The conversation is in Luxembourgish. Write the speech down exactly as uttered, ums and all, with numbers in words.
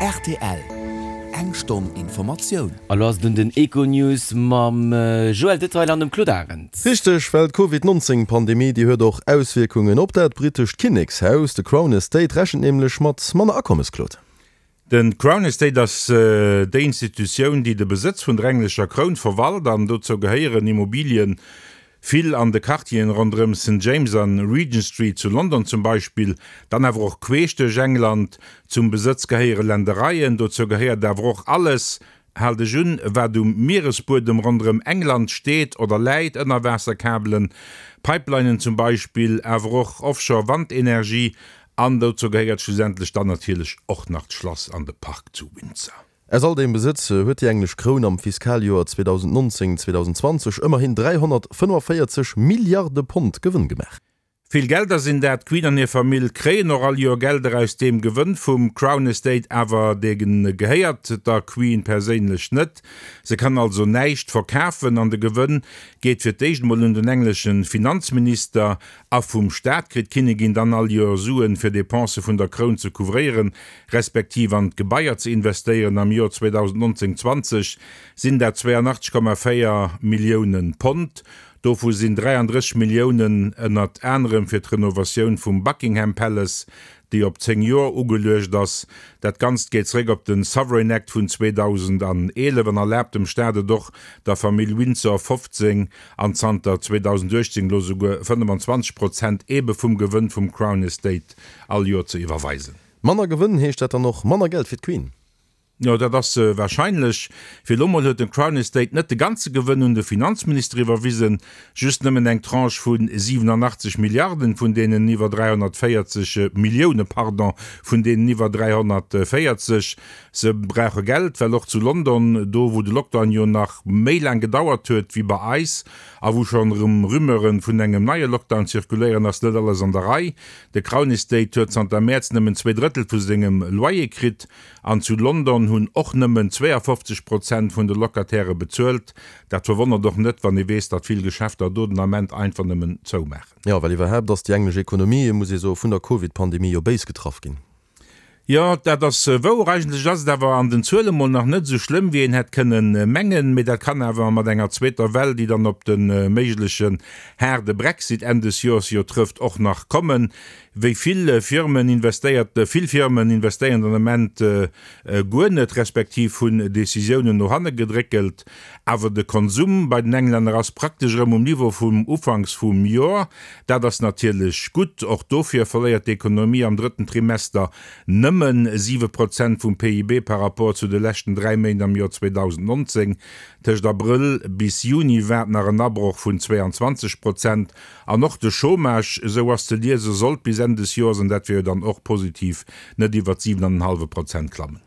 Rtl, Eng Stonn Informatioun. A lo ass et un den Econews mam Joël Detail an dem Claude Arend. Richteg, well d'Covid nonzéng Pandemie, déi huet och Auswierkungen op dat brittescht Kinnekshaus. De Crown Estate rechent nämlech mat manner Akommes, Claude. De Crown Estate ass déi Institutioun, déi de Besëtz vun der englescher Kroun verwalt an dozou gehéieren Immobilien, vill an de Quartieren ronderëm Saint James an Regent Street zu London zum Beispill, dann awer och queesch duerch England. Zum Besëtz gehéiere Ländereien, dozou gehéiert awer och alles, hal dech un, wat um Mieresbuedem ronderëm England steet oder läit, Ënnerwaasserkabelen, Pipelinen zum Beispill, awer och Offshore-Wandenergie An dozou gehéiert schlussendlech dann natierlech och nach d'Schlass an de Park zu Windsor. Aus all deem Besëtz huet déi englesch Kroun am Fiskaljoer zweedausendnonzéng zweedausendzwanzeg ëmmerhin dräihonnertfënnefvéierzeg Milliarde Pond Gewënn gemaach. Vill Gelder sinn dat. D'Queen an hir Famill kréien och all Joer Gelder aus deem Gewënn vum Crown Estate, awer dee gehéiert der Queen perséinlech net. Se kann also näischt verkafen an de Gewënn geet fir d'éischt emol un den englesche Finanzminister. A vum Staat kritt d'Kinnigin dann all Joer Suen, fir Depensë vun der Kroun ze couvréieren, respektiv an d'Gebaier ze investéieren. Am Joer zweedausendnonzéng zwanzeg sinn dat zweianachtzeg Komma véier Millioune Pond. Dovu sinn dräiandrësseg Milliounen ënnert anerem fir d'Renovatioun vum Buckingham Palace, déi op zéng Joer ugeluecht ass. Dat Ganzt geet zeréck op de Sovereign Act vun zweedausendeneelef an erlaabt dem Staat et och, der Famill Windsor fofzéng an zanter zweedausenduechtzéng elo souguer fënnefenzwanzeg Prozent eebe vum Gewënn vum Crown Estate all Joer ze iwwerweisen. Manner Gewënn, heescht dat dann och manner Geld fir d'Queen? Jo, dat ass wahrscheinlech. Fir elo mol huet den Crown Estate net de ganze Gewënn un de Finanzminister iwwerwisen, just nëmmen eng Tranche vu siwenanachtzeg Milliarden, vun deenen iwwer dräihonnertvéierzeg, Millioune, pardon, vun deenen iwwer dräihonnertvéierzeg. Se brauche Geld, well och zu London, do wou de Lockdown jo nach méi laang gedauert huet wéi bei eis a wou schonn erëm Rumeuren vun engem neie Lockdown zirkuléieren, ass net alles an der Rei. De Crown Estate huet zanter Mäerz nëmmen zwee Drëttel vu sengem Loyer kritt. An zu London hunn och nëmmen zweeafofzeg Prozent vun de Locatairë bezuelt. Dat verwonnert och net, wann ee weess, datt vill Geschäfter do den Ament einfach nëmmen zoumaachen. Jo, well iwwerhaapt ass déi englesch Ekonomie, muss ee soen, vun der Covid-Pandemie jo béis getraff ginn. Jo, dat ass wouer. Eigentlech ass et awer an den Zuele mol nach net esou schlëmm, wéi een hätt kënnen mengen. Mee dat kann awer mat enger zweeter Well, déi dann op de méiglechen haarde Brexit Enn des Joers jo trëfft, och nach kommen. Wéi vill Firmen investéiert? Vill Firmen investéieren den Ament guer net, respektiv hunn Decisiounen no hanne gedréckelt. Awer de Konsum bei den Englänner ass praktesch erëm um Niveau vum Ufanks vum Joer. Dat ass natierlech gutt. Och dofir verléiert d'Ekonomie am drëtten Trimester nëmme siwe Prozent vum P I B par rapport zu de leschten dräi Méint am Joer zweedausendnonzéng. Tëscht Abrëll bis Juni waart nach en Abroch vun zweeanzwanzeg Prozent. An och de Chômage, esou ass ze liesen, sollt bis Enn des Joers, an dat wier jo dann och positiv, net iwwert siwen an en hallwe Prozent klammen.